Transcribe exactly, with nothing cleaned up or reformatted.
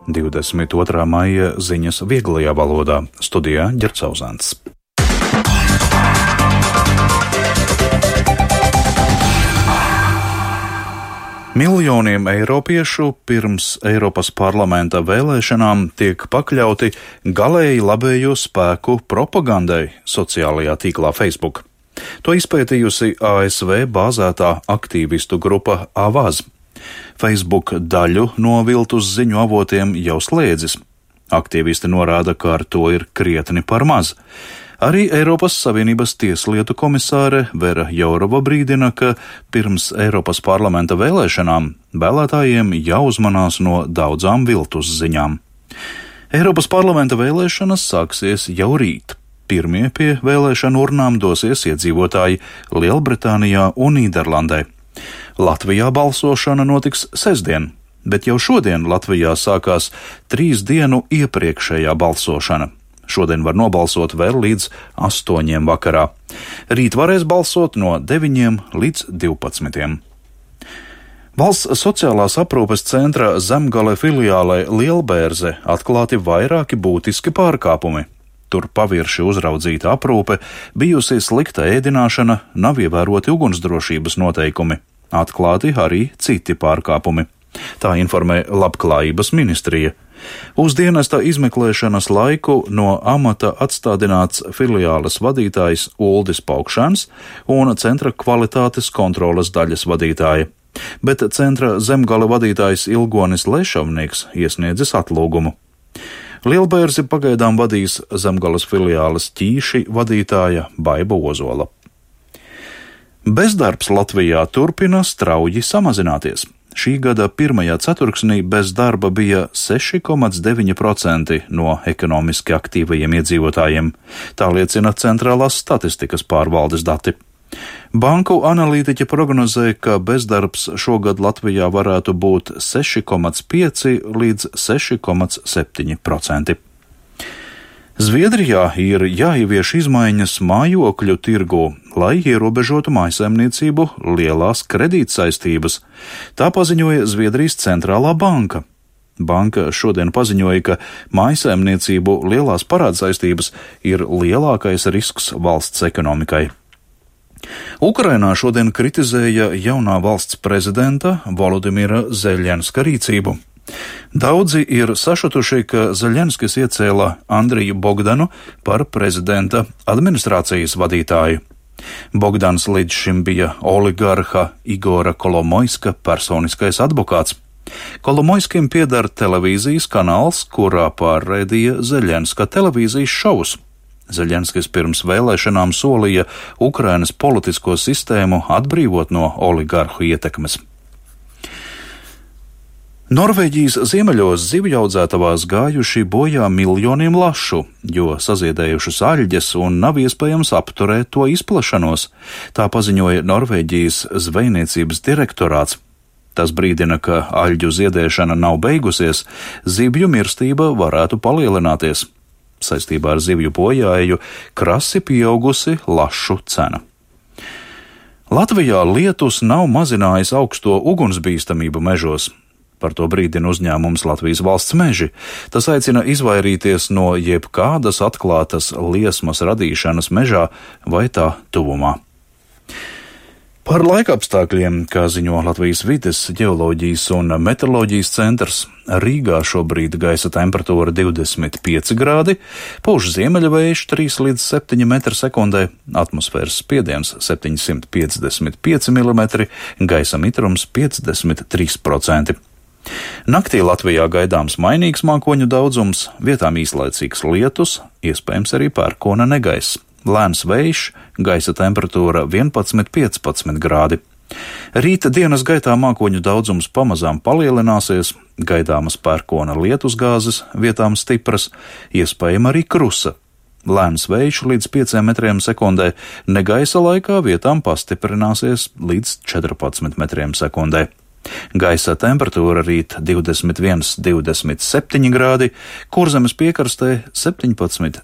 divdesmit otrā maija ziņas vieglajā valodā. Studijā Ģercauzāns. Miljoniem eiropiešu pirms Eiropas parlamenta vēlēšanām tiek pakļauti galēji labējo spēku propagandai sociālajā tīklā Facebook. To izpētījusi A S V bāzētā aktīvistu grupa Avaz. Facebook daļu no viltus ziņu avotiem jau slēdzis. Aktīvisti norāda, ka ar to ir krietni par maz. Arī Eiropas Savienības tieslietu komisāre Vera Jourova brīdina, ka pirms Eiropas parlamenta vēlēšanām vēlētājiem jāuzmanās no daudzām viltus ziņām. Eiropas parlamenta vēlēšanas sāksies jau rīt. Pirmie pie vēlēšanu urnām dosies iedzīvotāji Lielbritānijā un Nīderlandē. Latvijā balsošana notiks sestdien, bet jau šodien Latvijā sākās trīs dienu iepriekšējā balsošana. Šodien var nobalsot vēl līdz astoņiem vakarā. Rīt varēs balsot no deviņiem līdz divpadsmitiem. Valsts sociālās aprūpes centra Zemgale filiālē Lielbērze atklāti vairāki būtiski pārkāpumi. Tur pavirši uzraudzīta aprūpe, bijusi slikta ēdināšana, nav ievēroti ugunsdrošības noteikumi. Atklāti arī citi pārkāpumi. Tā informē Labklājības ministrija. Uz dienesta izmeklēšanas laiku no amata atstādināts filiāles vadītājs Uldis Paukšans un centra kvalitātes kontroles daļas vadītāja. Bet centra Zemgale vadītājs Ilgonis Lešavnieks iesniedzis atlūgumu. Lielbērzi pagaidām vadīs Zemgales filiāles Ķīši vadītāja Baiba Ozola. Bezdarbs Latvijā turpina strauji samazināties. Šī gada pirmajā ceturksnī bez darba bija seši komats deviņi procenti no ekonomiski aktīvajiem iedzīvotājiem. Tā liecina Centrālās statistikas pārvaldes dati. Banku analītiķi prognozē, ka bezdarbs šogad Latvijā varētu būt seši komats pieci līdz seši komats septiņi procenti. Zviedrijā ir jāievieš izmaiņas mājokļu tirgū, lai ierobežotu mājsaimniecību lielās kredītsaistības. Tā paziņoja Zviedrijas centrālā banka. Banka šodien paziņoja, ka mājsaimniecību lielās parādsaistības ir lielākais risks valsts ekonomikai. Ukrainā šodien kritizēja jaunā valsts prezidenta Volodimira Zeļenska rīcību. Daudzi ir sašutuši, ka Zeļenskis iecēla Andriju Bogdanu par prezidenta administrācijas vadītāju. Bogdans līdz šim bija oligarha Igora Kolomoiska personiskais advokāts. Kolomoiskim pieder televīzijas kanāls, kurā pārraidīja Zeļenska televīzijas šovus. Zeļenskis pirms vēlēšanām solīja Ukrainas politisko sistēmu atbrīvot no oligarhu ietekmes. Norvēģijas ziemeļos zivju audzētavās gājuši bojā miljoniem lašu, jo saziedējušas aļģes un nav iespējams apturēt to izplašanos, tā paziņoja Norvēģijas zvejniecības direktorāts. Tas brīdina, ka aļģu ziedēšana nav beigusies, zivju mirstība varētu palielināties. Saistībā ar zivju bojāju krasi pieaugusi lašu cena. Latvijā lietus nav mazinājis augsto ugunsbīstamību mežos. Par to brīdina uzņēmums Latvijas valsts meži. Tas aicina izvairīties no jebkādas atklātas liesmas radīšanas mežā vai tā tuvumā. Par laikapstākļiem, kā ziņo Latvijas vides, ģeoloģijas un meteoroloģijas centrs, Rīgā šobrīd gaisa temperatūra divdesmit pieci grādi, pūš ziemeļvējš trīs līdz septiņi metri sekundē, atmosfēras spiediens septiņsimt piecdesmit pieci milimetri, gaisa mitrums piecdesmit trīs procenti. Naktī Latvijā gaidāms mainīgs mākoņu daudzums, vietām īslaicīgs lietus, iespējams arī pērkona negaiss. Lēns vējš, gaisa temperatūra vienpadsmit līdz piecpadsmit grādi. Rīta dienas gaitā mākoņu daudzums pamazām palielināsies, gaidāmas pērkona lietusgāzes, vietām stipras, iespējama arī krusa. Lēns vējš līdz pieciem metriem sekundē, negaisa laikā vietām pastiprināsies līdz četrpadsmit metriem sekundē. Gaisa temperatūra rīt divdesmit viens līdz divdesmit septiņi grādi, Kurzemes piekrastē septiņpadsmit